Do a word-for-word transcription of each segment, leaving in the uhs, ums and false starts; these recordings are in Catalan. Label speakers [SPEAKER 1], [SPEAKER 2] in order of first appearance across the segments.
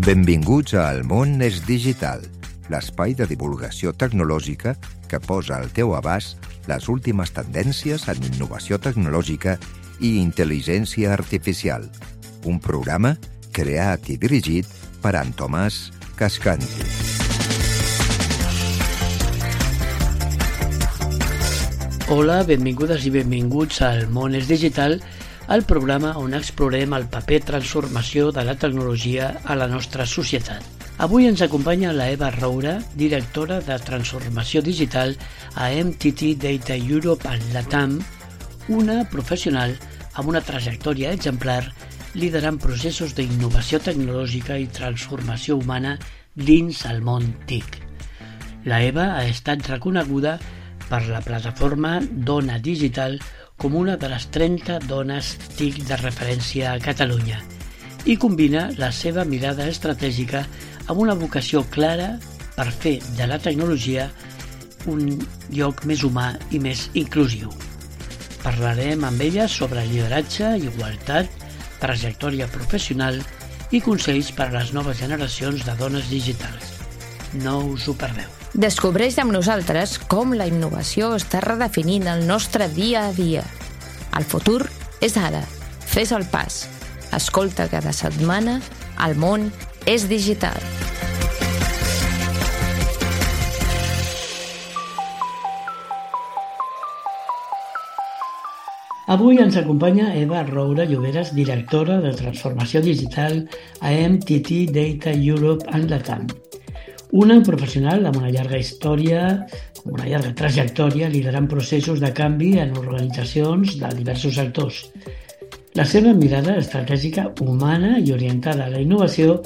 [SPEAKER 1] Benvinguts a El món és digital, l'espai de divulgació tecnològica que posa al teu abast les últimes tendències en innovació tecnològica i intel·ligència artificial. Un programa creat i dirigit per en Tomàs Cascanti.
[SPEAKER 2] Hola, benvingudes i benvinguts al món és digital, el programa on explorem el paper transformació de la tecnologia a la nostra societat. Avui ens acompanya la Eva Roura, directora de Transformació Digital a M T T Data Europe and Latam, una professional amb una trajectòria exemplar liderant processos d'innovació tecnològica i transformació humana dins el món T I C. La Eva ha estat reconeguda per la plataforma Dona Digital com una de les trenta dones T I C de referència a Catalunya i combina la seva mirada estratègica amb una vocació clara per fer de la tecnologia un lloc més humà i més inclusiu. Parlarem amb ella sobre lideratge, igualtat, trajectòria professional i consells per a les noves generacions de dones digitals. No us ho perdeu.
[SPEAKER 3] Descobreix amb nosaltres com la innovació està redefinint el nostre dia a dia. El futur és ara. Fes el pas. Escolta cada setmana El món és digital.
[SPEAKER 2] Avui ens acompanya Eva Roura Lloberas, directora de Transformació Digital a M T T Data Europe and Latam. Una professional amb una llarga història, amb una llarga trajectòria liderant processos de canvi en organitzacions de diversos sectors. La seva mirada estratègica humana i orientada a la innovació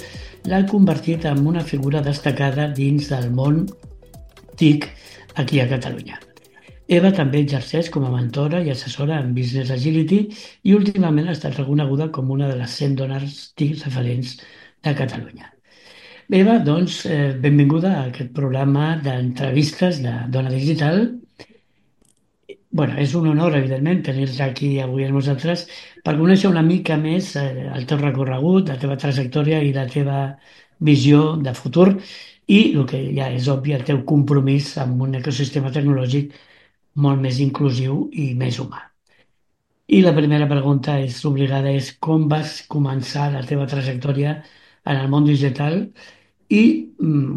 [SPEAKER 2] l'ha convertit en una figura destacada dins del món T I C aquí a Catalunya. Eva també exerceix com a mentora i assessora en Business Agility i últimament ha estat reconeguda com una de les cent dones T I C referents de Catalunya. Eva, doncs, eh, benvinguda a aquest programa d'entrevistes de Dona Digital. Bueno, és un honor, evidentment, tenir-te aquí avui amb nosaltres per conèixer una mica més eh, el teu recorregut, la teva trajectòria i la teva visió de futur i, el que ja és obvi, el teu compromís amb un ecosistema tecnològic molt més inclusiu i més humà. I la primera pregunta és obligada, és com vas començar la teva trajectòria en el món digital i mm,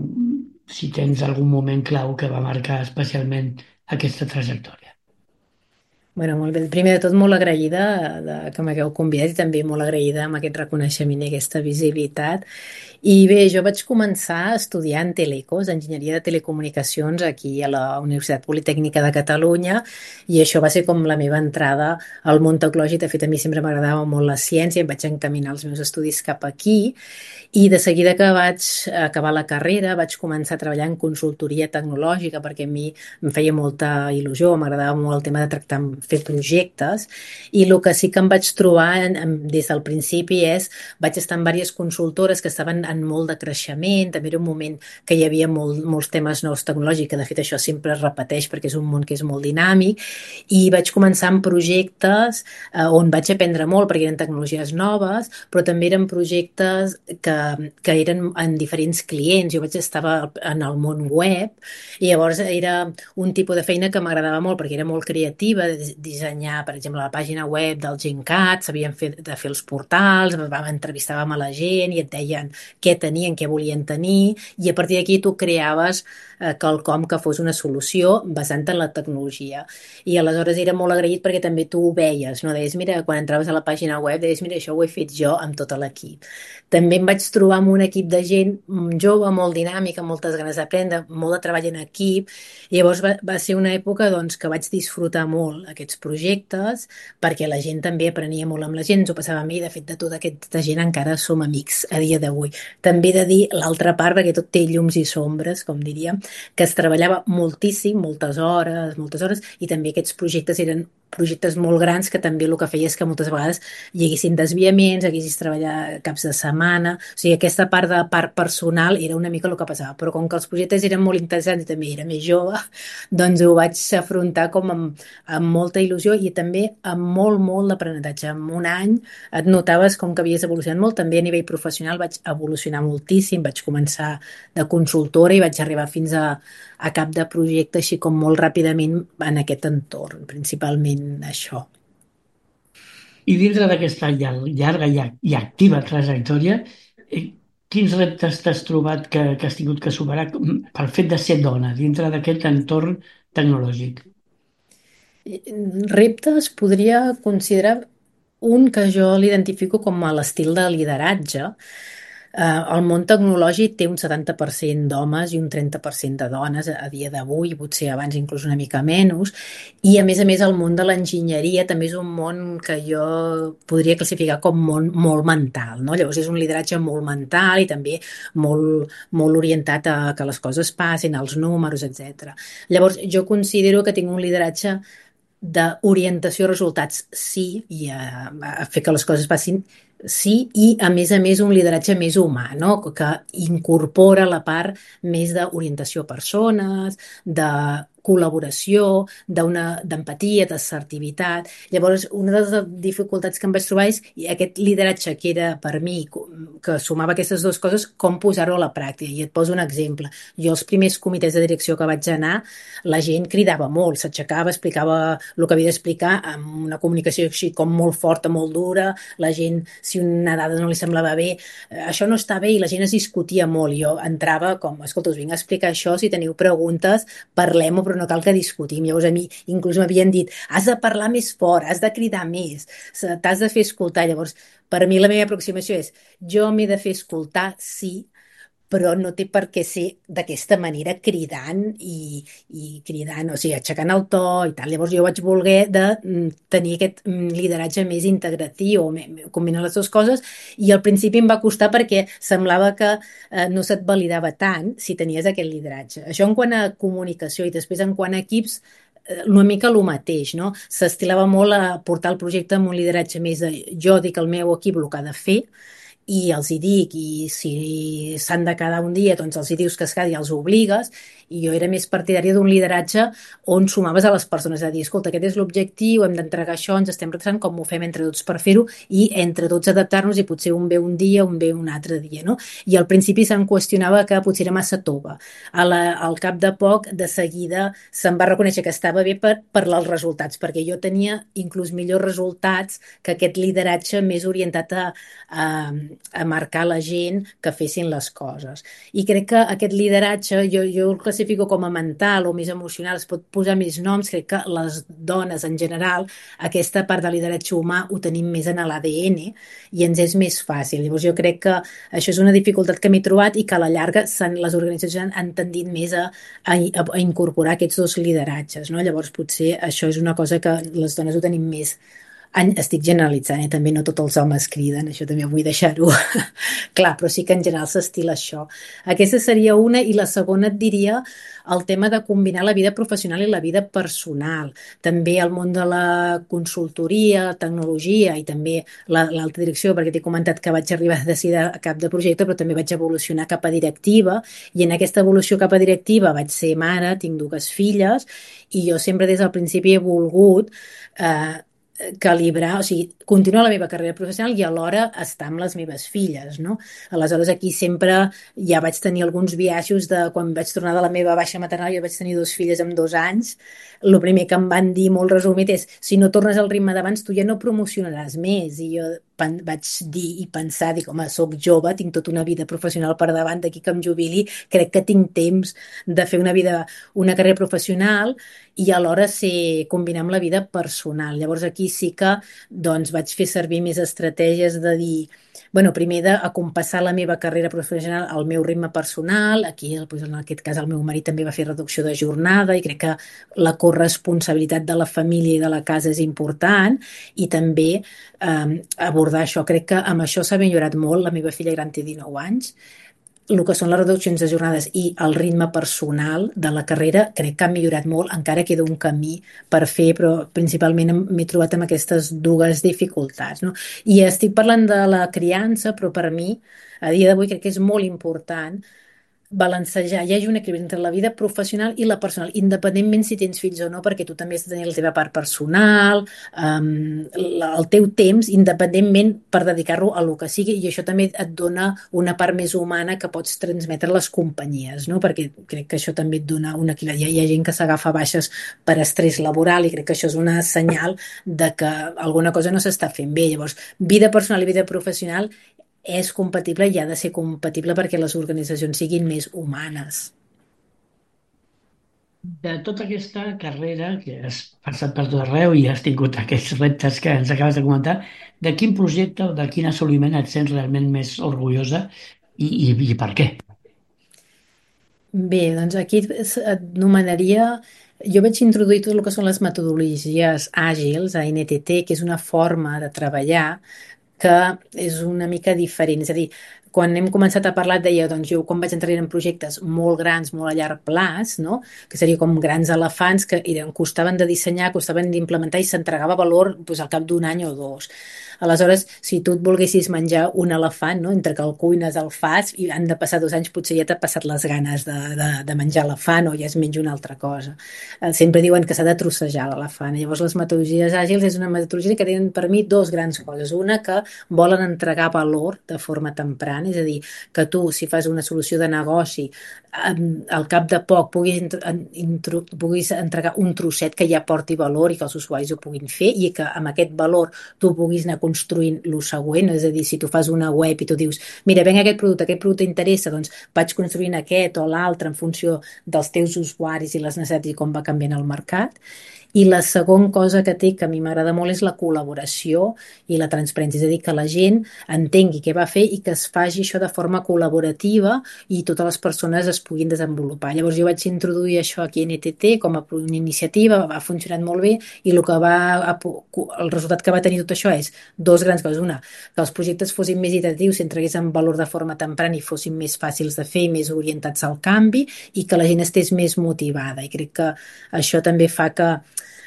[SPEAKER 2] si tens algun moment clau que va marcar especialment aquesta trajectòria.
[SPEAKER 4] Bueno, molt bé. Primer de tot, molt agraïda de que m'hagueu convidat i també molt agraïda amb aquest reconeixement i aquesta visibilitat. I bé, jo vaig començar estudiant Telecos, Enginyeria de Telecomunicacions, aquí a la Universitat Politècnica de Catalunya, i això va ser com la meva entrada al món tecnològic. De fet, a mi sempre m'agradava molt la ciència, em vaig encaminar els meus estudis cap aquí, i de seguida que vaig acabar la carrera vaig començar a treballar en consultoria tecnològica perquè a mi em feia molta il·lusió, m'agradava molt el tema de tractar, fer projectes, i el que sí que em vaig trobar en, en, des del principi és, vaig estar en diverses consultores que estaven en molt de creixement, també era un moment que hi havia molt, molts temes nous tecnològics, que de fet això sempre es repeteix perquè és un món que és molt dinàmic, i vaig començar en projectes eh, on vaig aprendre molt perquè eren tecnologies noves, però també eren projectes que que eren en diferents clients. Jo vaig estar en el món web i llavors era un tipus de feina que m'agradava molt perquè era molt creativa, de dissenyar, per exemple, la pàgina web del Gencat, sabien fer, de fer els portals, entrevistàvem a la gent i et deien què tenien, què volien tenir, i a partir d'aquí tu creaves eh, quelcom que fos una solució basant en la tecnologia. I aleshores era molt agraït perquè també tu ho veies, no? Deies, mira, quan entraves a la pàgina web, deies, mira, això ho he fet jo amb tot l'equip. També em vaig trobar amb un equip de gent jove, molt dinàmica, amb moltes ganes d'aprendre, molt de treball en equip, i llavors va, va ser una època doncs, que vaig disfrutar molt aquests projectes, perquè la gent també aprenia molt amb la gent, ens ho passava a mi, de fet de tota aquesta gent encara som amics a dia d'avui. També he de dir l'altra part, perquè tot té llums i sombres, com diríem, que es treballava moltíssim, moltes hores, moltes hores, i també aquests projectes eren projectes molt grans que també el que feia és que moltes vegades hi haguessin desviaments, haguessis treballar caps de setmana, o sigui, aquesta part de part personal era una mica el que passava, però com que els projectes eren molt interessants i també era més jove, doncs ho vaig afrontar com amb, amb molta il·lusió i també amb molt, molt d'aprenentatge. En un any et notaves com que havies evolucionat molt, també a nivell professional vaig evolucionar moltíssim, vaig començar de consultora i vaig arribar fins a, a cap de projecte així com molt ràpidament en aquest entorn, principalment això.
[SPEAKER 2] I dintre d'aquesta llarga i activa trajectòria, quins reptes t'has trobat que, que has tingut que superar pel fet de ser dona dintre d'aquest entorn tecnològic?
[SPEAKER 4] Reptes podria considerar un que jo l'identifico com a l'estil de lideratge. Uh, el món tecnològic té un setanta per cent d'homes i un trenta per cent de dones a, a dia d'avui, potser abans inclús una mica menys, i a més a més el món de l'enginyeria també és un món que jo podria classificar com món molt mental, no? Llavors és un lideratge molt mental i també molt, molt orientat a que les coses passin, als números, etcètera. Llavors jo considero que tinc un lideratge d'orientació a resultats, sí, i a, a fer que les coses passin, sí, i a més a més un lideratge més humà, no? Que incorpora la part més d'orientació a persones, de col·laboració, d'empatia, d'assertivitat. Llavors, una de les dificultats que em vaig trobar és aquest lideratge que era per mi, que sumava aquestes dues coses, com posar-ho a la pràctica. I et poso un exemple. Jo als primers comitès de direcció que vaig anar, la gent cridava molt, s'aixecava, explicava el que havia d'explicar amb una comunicació així com molt forta, molt dura, la gent, si una dada no li semblava bé, això no està bé, i la gent es discutia molt. Jo entrava com, escolta, us vinc a explicar això, si teniu preguntes, parlem-ho, però no cal que discutim. Llavors a mi inclús m'havien dit, has de parlar més fort, has de cridar més, t'has de fer escoltar. Llavors, per mi la meva aproximació és, jo m'he de fer escoltar, sí, però no té per què ser d'aquesta manera cridant i, i cridant, o sigui, aixecant el to i tal. Llavors jo vaig voler de tenir aquest lideratge més integratiu, combinar les dues coses, i al principi em va costar perquè semblava que eh, no se't validava tant si tenies aquest lideratge. Això en quant a comunicació, i després en quant a equips, una mica el mateix, no? S'estilava molt a portar el projecte amb un lideratge més de jo dic al meu equip el que ha de fer, i els hi dic, i si s'han de quedar un dia, doncs els hi dius que es quedi i els obligues, i jo era més partidària d'un lideratge on sumaves a les persones, a dir, escolta, aquest és l'objectiu, hem d'entregar això, ens estem retrasant, com ho fem entre tots per fer-ho, i entre tots adaptar-nos, i potser un ve un dia, un ve un altre dia, no? I al principi se'm qüestionava que potser era massa tova. A la, al cap de poc, de seguida, se'm va reconèixer que estava bé per, per els resultats, perquè jo tenia inclús millors resultats que aquest lideratge més orientat a, a, a marcar la gent que fessin les coses. I crec que aquest lideratge, jo, jo el classifico com a mental o més emocional, es pot posar més noms, crec que les dones en general, aquesta part de lideratge humà ho tenim més en l'A D N i ens és més fàcil. Llavors jo crec que això és una dificultat que m'he trobat i que a la llarga les organitzacions han, han tendit més a, a, a incorporar aquests dos lideratges, no? Llavors potser això és una cosa que les dones ho tenim més. Estic generalitzant, eh? També no tots els homes criden, això també vull deixar-ho clar, però sí que en general s'estila això. Aquesta seria una, i la segona et diria el tema de combinar la vida professional i la vida personal. També el món de la consultoria, tecnologia i també l'alta direcció, perquè t'he comentat que vaig arribar a decidir a cap de projecte, però també vaig evolucionar cap a directiva, i en aquesta evolució cap a directiva vaig ser mare, tinc dues filles, i jo sempre des del principi he volgut eh, calibrar, o sigui, continuar la meva carrera professional i alhora estar amb les meves filles, no? Aleshores aquí sempre ja vaig tenir alguns biaixos de quan vaig tornar de la meva baixa maternal, jo vaig tenir dos filles amb dos anys, el primer que em van dir molt resumit és, si no tornes al ritme d'abans tu ja no promocionaràs més, i jo vaig dir i pensar, dic, home, soc jove, tinc tota una vida professional per davant, d'aquí que em jubili, crec que tinc temps de fer una vida, una carrera professional i alhora ser, combinar amb la vida personal. Llavors aquí sí que doncs, vaig fer servir més estratègies de dir, bueno, primer d'acompassar la meva carrera professional al meu ritme personal, aquí doncs, en aquest cas el meu marit també va fer reducció de jornada i crec que la corresponsabilitat de la família i de la casa és important, i també eh, abordar això. Crec que amb això s'ha millorat molt, la meva filla gran té dinou anys, el que són les reduccions de jornades i el ritme personal de la carrera crec que ha millorat molt, encara queda un camí per fer, però principalment m'he trobat amb aquestes dues dificultats, no? I estic parlant de la criança, però per mi, a dia d'avui, crec que és molt important balancejar, hi hagi un equilibri entre la vida professional i la personal, independentment si tens fills o no, perquè tu també has de tenir la teva part personal, um, el teu temps, independentment per dedicar-lo a lo que sigui, i això també et dona una part més humana que pots transmetre a les companyies, no? Perquè crec que això també et dona un equilibri. Hi ha gent que s'agafa baixes per estrès laboral i crec que això és una senyal de que alguna cosa no s'està fent bé. Llavors, vida personal i vida professional és compatible i ha de ser compatible perquè les organitzacions siguin més humanes.
[SPEAKER 2] De tota aquesta carrera que has passat per tot arreu i has tingut aquests reptes que ens acabes de comentar, de quin projecte o de quin assoliment et sents realment més orgullosa i, i, i per què?
[SPEAKER 4] Bé, doncs aquí et nomenaria... Jo vaig introduir tot el que són les metodologies àgils a N T T, que és una forma de treballar que és una mica diferent. És a dir, quan hem començat a parlar, deia, doncs jo quan vaig entrar en projectes molt grans, molt a llarg plaç, no? Que seria com grans elefants que eren, costaven de dissenyar, costaven d'implementar i s'entregava valor doncs, al cap d'un any o dos. Aleshores, si tu et volguessis menjar un elefant, no? Entre que el cuines, el fas, i han de passar dos anys, potser ja t'ha passat les ganes de, de, de menjar elefant o ja es menja una altra cosa. Eh, sempre diuen que s'ha de trossejar l'elefant. Llavors, les metodologies àgils és una metodologia que tenen per mi dos grans coses. Una, que volen entregar valor de forma temprana, és a dir, que tu, si fas una solució de negoci, al cap de poc puguis, intro, puguis entregar un trosset que ja porti valor i que els usuaris ho puguin fer i que amb aquest valor tu puguis anar construint el següent, és a dir, si tu fas una web i tu dius, mira, venga aquest producte, aquest producte interessa, doncs vaig construint aquest o l'altre en funció dels teus usuaris i les necessitats i com va canviant el mercat. I la segona cosa que té, que a mi m'agrada molt, és la col·laboració i la transparència, és a dir, que la gent entengui què va fer i que es faci això de forma col·laborativa i totes les persones es puguin desenvolupar. Llavors jo vaig introduir això aquí a N T T com a una iniciativa, va funcionar molt bé i el, que va, el resultat que va tenir tot això és dos grans coses. Una, que els projectes fossin més iteratius, s'entreguessin valor de forma temprana i fossin més fàcils de fer i més orientats al canvi i que la gent estés més motivada. I crec que això també fa que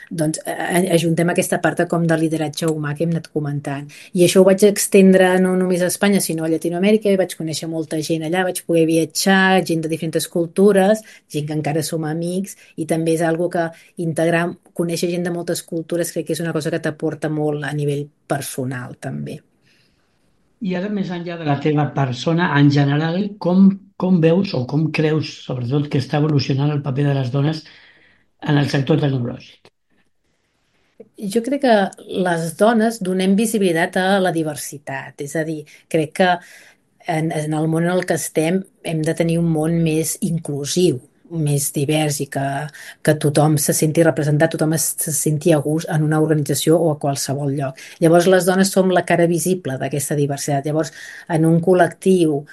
[SPEAKER 4] doncs ajuntem aquesta part com de lideratge humà que hem anat comentant. I això ho vaig extendre no només a Espanya, sinó a Llatinoamèrica, i vaig conèixer molta gent allà, vaig poder viatjar, gent de diferents cultures, gent que encara som amics, i també és algo que integrar, conèixer gent de moltes cultures, crec que és una cosa que t'aporta molt a nivell personal, també.
[SPEAKER 2] I ara, més enllà de la teva persona, en general, com, com veus o com creus, sobretot, que està evolucionant el paper de les dones en el sector tecnològic?
[SPEAKER 4] Jo crec que les dones donem visibilitat a la diversitat, és a dir, crec que en, en el món en el que estem hem de tenir un món més inclusiu, més divers i que, que tothom se senti representat, tothom es, se senti a gust en una organització o a qualsevol lloc. Llavors les dones som la cara visible d'aquesta diversitat. Llavors en un col·lectiu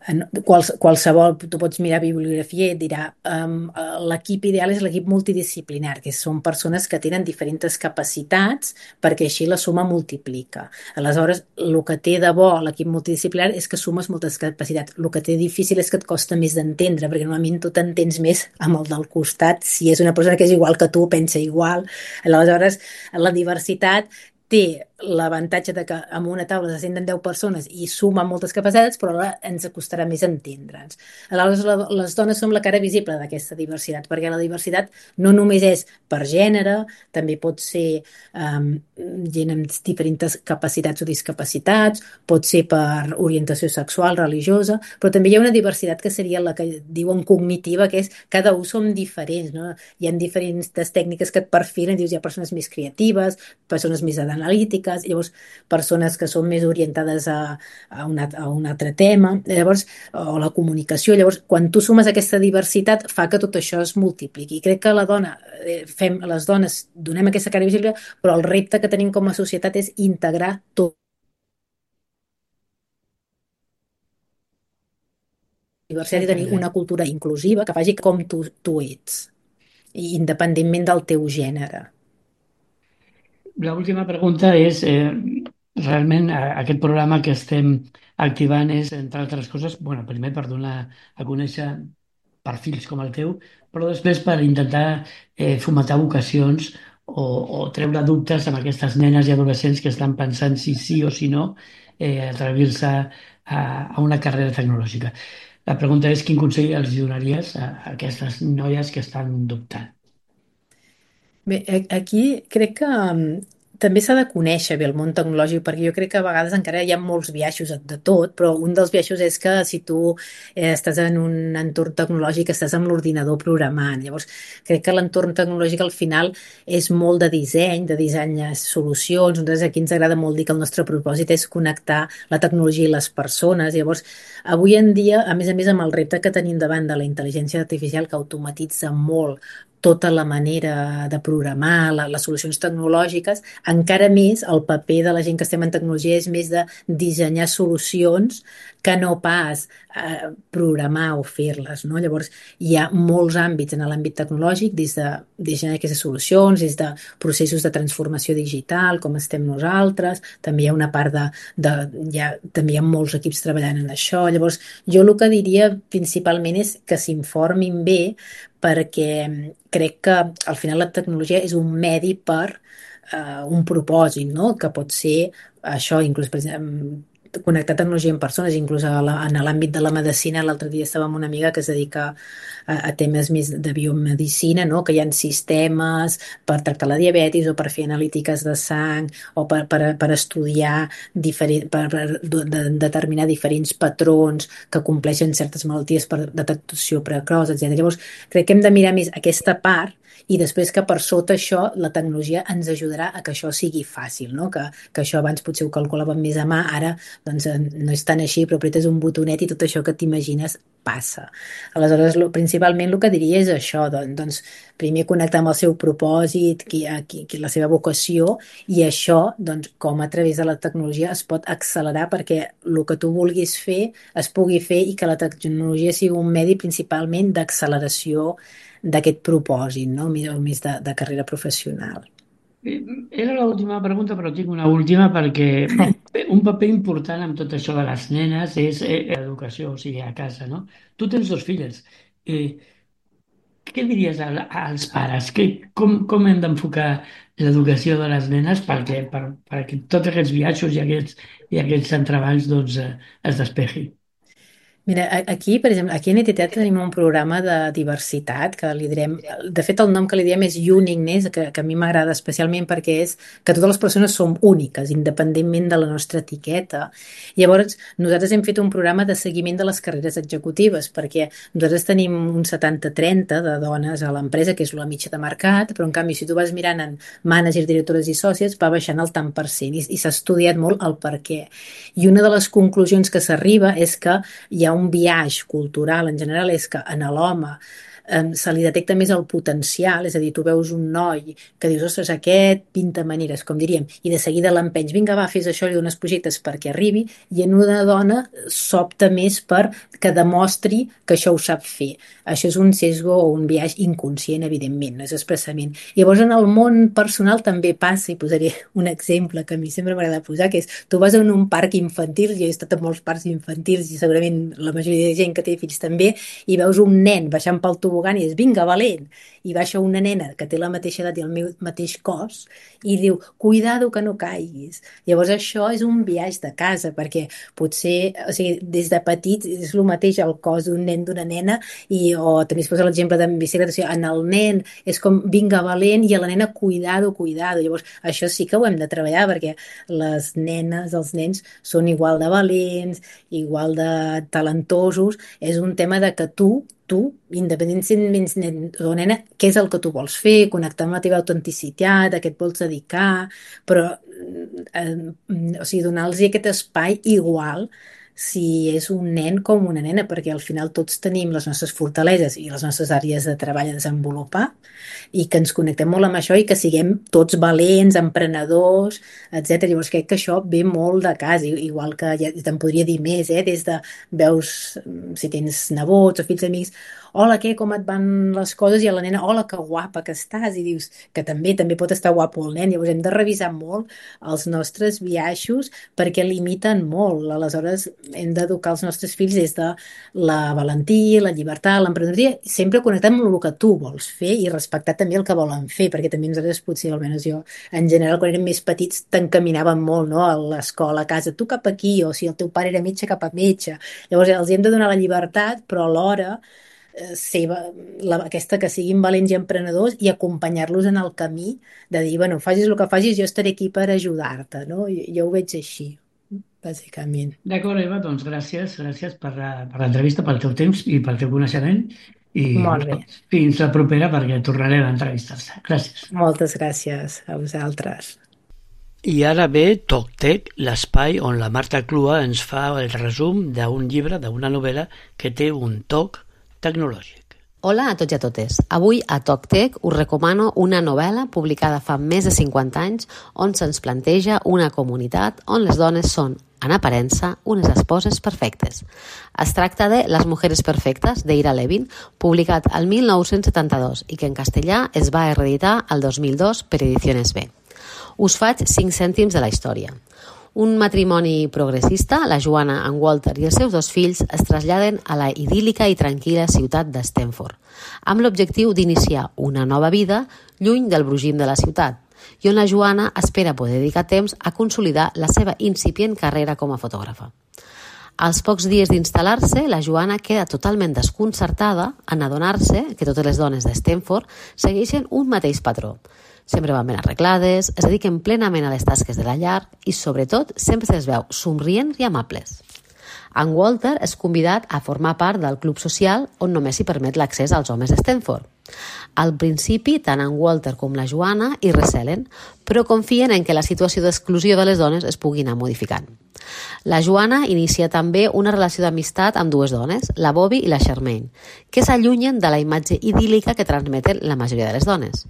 [SPEAKER 4] en quals, qualsevol, tu pots mirar bibliografia i et dirà um, l'equip ideal és l'equip multidisciplinar, que són persones que tenen diferents capacitats perquè així la suma multiplica. Aleshores, el que té de bo l'equip multidisciplinar és que sumes moltes capacitats. El que té difícil és que et costa més d'entendre, perquè normalment tu t'entens més amb el del costat, si és una persona que és igual que tu, pensa igual. Aleshores, la diversitat té l'avantatge de que en una taula se senten deu persones i sumen moltes capacitats, però ara ens costarà més entendre'ns. Aleshores, les dones som la cara visible d'aquesta diversitat, perquè la diversitat no només és per gènere, també pot ser um, gent amb diferents capacitats o discapacitats, pot ser per orientació sexual, religiosa, però també hi ha una diversitat que seria la que diuen cognitiva, que és cada un som diferents, no? Hi ha diferents tècniques que et perfilen, dius, hi ha persones més creatives, persones més analítiques, llavors persones que són més orientades a, a, una, a un altre tema, llavors, o la comunicació. Llavors, quan tu sumes aquesta diversitat, fa que tot això es multipliqui. I crec que la dona, eh, fem, les dones donem aquesta cara visible, però el repte que tenim com a societat és integrar tot. Diversitat i tenir una cultura inclusiva que faci com tu, tu ets, independentment del teu gènere.
[SPEAKER 2] L'última pregunta és, eh, realment, a- aquest programa que estem activant és, entre altres coses, bueno, primer per donar a conèixer perfils com el teu, però després per intentar eh, fomentar vocacions o, o treure dubtes amb aquestes nenes i adolescents que estan pensant si sí o si no eh, atrevir-se a, a una carrera tecnològica. La pregunta és quin consell els donaries a, a aquestes noies que estan dubtant?
[SPEAKER 4] Bé, a- aquí crec que mm, també s'ha de conèixer bé el món tecnològic, perquè jo crec que a vegades encara hi ha molts biaixos de tot, però un dels biaixos és que si tu eh, estàs en un entorn tecnològic, estàs amb l'ordinador programant. Llavors, crec que l'entorn tecnològic al final és molt de disseny, de dissenyar solucions. Nosaltres aquí ens agrada molt dir que el nostre propòsit és connectar la tecnologia i les persones. Llavors, avui en dia, a més a més, amb el repte que tenim davant de la intel·ligència artificial que automatitza molt tota la manera de programar, la, les solucions tecnològiques, encara més el paper de la gent que estem en tecnologia és més de dissenyar solucions que no pas eh, programar o fer-les, no? Llavors, hi ha molts àmbits en l'àmbit tecnològic, des de dissenyar aquestes solucions, des de processos de transformació digital, com estem nosaltres, també hi ha una part de... de hi ha, també hi ha molts equips treballant en això. Llavors, jo el que diria principalment és que s'informin bé, perquè crec que al final la tecnologia és un medi per eh, un propòsit, no? Que pot ser això, inclús per exemple, connectar tecnologia amb persones, inclús a la, en l'àmbit de la medicina. L'altre dia estava amb una amiga que es dedica a, a temes més de biomedicina, no? Que hi ha sistemes per tractar la diabetis o per fer analítiques de sang o per, per, per estudiar diferent, per, per de, determinar diferents patrons que compleixen certes malalties per detecció precoç, etcètera. Llavors, crec que hem de mirar més aquesta part i després que per sota això la tecnologia ens ajudarà a que això sigui fàcil, no? Que, que això abans potser ho calculàvem més a mà, ara doncs, no és tan així, però apretes un botonet i tot això que t'imagines passa. Aleshores, lo, principalment el que diria és això, doncs, doncs primer connectar amb el seu propòsit, qui, qui, qui, la seva vocació, i això, doncs, com a través de la tecnologia es pot accelerar perquè el que tu vulguis fer es pugui fer i que la tecnologia sigui un medi principalment d'acceleració d'aquest propòsit, no? Més, més de, de carrera professional.
[SPEAKER 2] Eh, Era l'última pregunta, però tinc una última perquè un paper important en tot això de les nenes és eh, l'educació, o sigui, a casa, no? Tu tens dos filles. Eh, què diries a, als pares? Que, com, com hem d'enfocar l'educació de les nenes perquè, per, perquè tots aquests viatges i aquests, i aquests entrebancs doncs, eh, es despegin?
[SPEAKER 4] Mira, aquí, per exemple, aquí a N T T tenim un programa de diversitat que li direm, de fet el nom que li diem és Uniqueness, que, que a mi m'agrada especialment perquè és que totes les persones som úniques, independentment de la nostra etiqueta. Llavors, nosaltres hem fet un programa de seguiment de les carreres executives, perquè nosaltres tenim un setanta trenta de dones a l'empresa, que és la mitja de mercat, però en canvi, si tu vas mirant en mànagers, directores i sòcies, va baixant el tant per cent, i, i s'ha estudiat molt el per què. I una de les conclusions que s'arriba és que hi ha un biaix cultural en general, és que en l'home eh, se li detecta més el potencial, és a dir, tu veus un noi que dius, ostres, aquest pinta maneres, com diríem, i de seguida l'empenys, vinga, va, fes això, li dones projectes perquè arribi, i en una dona s'opta més per que demostri que això ho sap fer. Això és un sesgo o un biaix inconscient, evidentment, no és expressament. Llavors, en el món personal també passa, i posaré un exemple que a mi sempre m'agrada posar, que és, tu vas a un parc infantil, jo he estat a molts parcs infantils i segurament la majoria de gent que té fills també, i veus un nen baixant pel tobogan i dius, vinga, valent, i baixa una nena que té la mateixa edat i el meu mateix cos i diu, cuidado que no caiguis. Llavors això és un biaix de casa, perquè potser, o sigui, des de petit és el mateix el cos d'un nen, d'una nena, i, o també es posa l'exemple de bicicleta, o sigui, en el nen és com, vinga, valent, i a la nena, cuidado, cuidado. Llavors això sí que ho hem de treballar, perquè les nenes, els nens, són igual de valents, igual de talentosos, és un tema de que tu tu, independentment nen o nena, què és el que tu vols fer, connectar amb la teva autenticitat, a què et vols dedicar, però eh, o sigui, donar-los aquest espai igual si és un nen com una nena, perquè al final tots tenim les nostres fortaleses i les nostres àrees de treball a desenvolupar i que ens connectem molt amb això i que siguem tots valents, emprenedors, etcètera. Llavors crec que això ve molt de casa, igual que ja te'n podria dir més, eh? Des de veus, si tens nebots o fills amics, hola, què, com et van les coses? I a la nena, hola, que guapa que estàs, i dius que també també pot estar guapo el nen. Llavors hem de revisar molt els nostres biaixos perquè limiten molt. Aleshores, hem d'educar els nostres fills des de la valentia, la llibertat, l'emprenedoria, sempre connectant amb el que tu vols fer i respectar també el que volen fer, perquè també nosaltres potser, almenys jo, en general, quan érem més petits, t'encaminaven molt, no?, a l'escola, a casa, tu cap aquí, o si el teu pare era metge, cap a metge. Llavors, els hem de donar la llibertat, però alhora eh, ser, la, aquesta que siguin valents i emprenedors i acompanyar-los en el camí de dir, bueno, facis el que facis, jo estaré aquí per ajudar-te, no? Jo, jo ho veig així, bàsicament.
[SPEAKER 2] D'acord, Eva, doncs gràcies, gràcies per, la- per l'entrevista, pel teu temps i pel teu coneixement. I
[SPEAKER 4] Molt bé.
[SPEAKER 2] bueno, fins la propera, perquè tornarem a entrevistar-se. Gràcies.
[SPEAKER 4] Moltes gràcies a vosaltres.
[SPEAKER 2] I ara ve TocTec, l'espai on la Marta Clua ens fa el resum d'un llibre, d'una novel·la que té un toc tecnològic.
[SPEAKER 5] Hola a tots i a totes. Avui a TocTec us recomano una novel·la publicada fa més de cinquanta anys on se'ns planteja una comunitat on les dones són, en aparença, unes esposes perfectes. Es tracta de Les mujeres perfectes, d'Ira Levin, publicat el mil nou-cents setanta-dos i que en castellà es va reeditar el dos mil dos per Ediciones B. Us faig cinc cèntims de la història. Un matrimoni progressista, la Joanna, en Walter i els seus dos fills es traslladen a la idíl·lica i tranquil·la ciutat de Stanford, amb l'objectiu d'iniciar una nova vida lluny del brogim de la ciutat, i on la Joanna espera poder dedicar temps a consolidar la seva incipient carrera com a fotògrafa. Als pocs dies d'instal·lar-se, la Joanna queda totalment desconcertada en adonar-se que totes les dones de Stanford segueixen un mateix patró. Sempre van ben arreglades, es dediquen plenament a les tasques de la llar i, sobretot, sempre se'ls veu somrients i amables. En Walter és convidat a formar part del club social on només s'hi permet l'accés als homes de Stanford. Al principi, tant en Walter com la Joanna hi recelen, però confien en que la situació d'exclusió de les dones es pugui anar modificant. La Joanna inicia també una relació d'amistat amb dues dones, la Bobby i la Charmaine, que s'allunyen de la imatge idíl·lica que transmeten la majoria de les dones.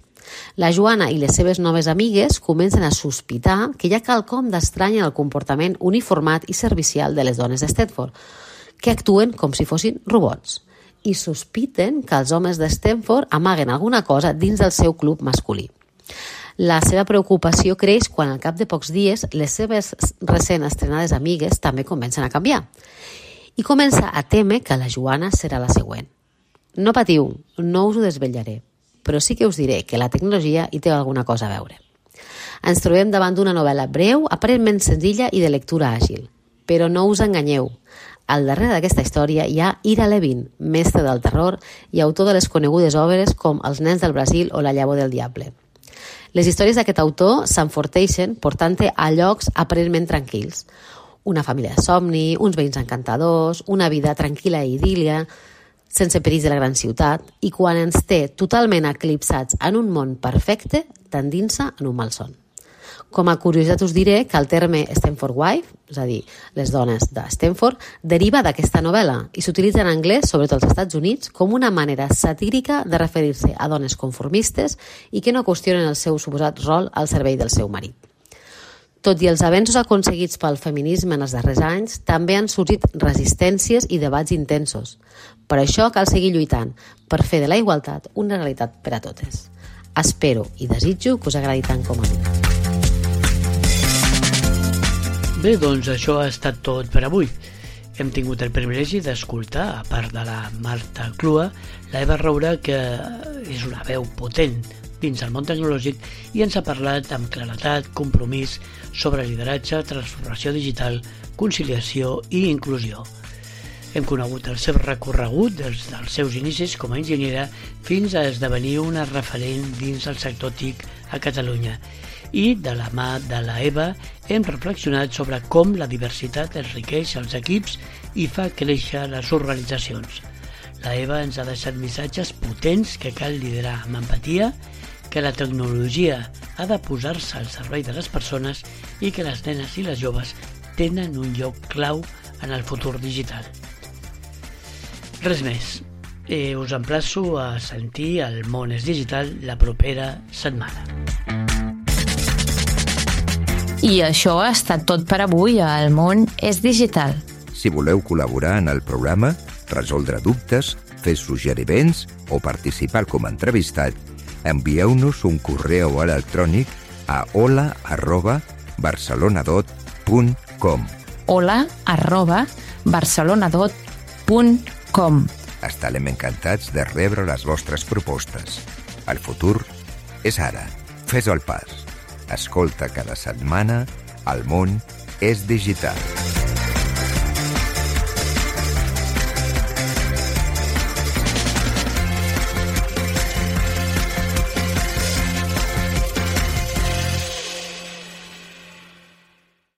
[SPEAKER 5] La Joanna i les seves noves amigues comencen a sospitar que hi ha quelcom d'estrany en el comportament uniformat i servicial de les dones de Stanford, que actuen com si fossin robots, i sospiten que els homes de Stanford amaguen alguna cosa dins del seu club masculí. La seva preocupació creix quan al cap de pocs dies les seves recent estrenades amigues també comencen a canviar i comença a témer que la Joanna serà la següent. No patiu, no us ho desvetllaré, però sí que us diré que la tecnologia hi té alguna cosa a veure. Ens trobem davant d'una novel·la breu, aparentment senzilla i de lectura àgil. Però no us enganyeu. Al darrere d'aquesta història hi ha Ira Levin, mestre del terror i autor de les conegudes obres com Els nens del Brasil o La llavor del diable. Les històries d'aquest autor s'enforteixen portant-te a llocs aparentment tranquils. Una família de somni, uns veïns encantadors, una vida tranquil·la i idíl·lia, sense perills de la gran ciutat, i quan ens té totalment eclipsats en un món perfecte, t'endinsa en un malson. Com a curiositat us diré que el terme Stanford Wife, és a dir, les dones de Stanford, deriva d'aquesta novel·la i s'utilitza en anglès, sobretot als Estats Units, com una manera satírica de referir-se a dones conformistes i que no qüestionen el seu suposat rol al servei del seu marit. Tot i els avenços aconseguits pel feminisme en els darrers anys, també han sorgit resistències i debats intensos. Per això cal seguir lluitant, per fer de la igualtat una realitat per a totes. Espero i desitjo que us agradi tant com a mi.
[SPEAKER 2] Bé, doncs això ha estat tot per avui. Hem tingut el privilegi d'escoltar, a part de la Marta Clua, la Eva Roura, que és una veu potent dins el món tecnològic i ens ha parlat amb claretat, compromís sobre lideratge, transformació digital, conciliació i inclusió. Hem conegut el seu recorregut des dels seus inicis com a enginyera fins a esdevenir una referent dins el sector T I C a Catalunya. I de la mà de la Eva hem reflexionat sobre com la diversitat enriqueix els equips i fa créixer les organitzacions. La Eva ens ha deixat missatges potents que cal liderar amb empatia, que la tecnologia ha de posar-se al servei de les persones i que les nenes i les joves tenen un lloc clau en el futur digital. Res més. Eh, us emplaço a sentir El món és digital la propera setmana.
[SPEAKER 3] I això ha estat tot per avui a El món és digital.
[SPEAKER 1] Si voleu col·laborar en el programa, resoldre dubtes, fer suggeriments o participar com a entrevistat, envieu-nos un correu electrònic a hola arroba barcelonadot punt com
[SPEAKER 3] hola arroba barcelonadot punt com.
[SPEAKER 1] Estarem encantats de rebre les vostres propostes. El futur és ara. Fes el pas. Escolta cada setmana El món és digital.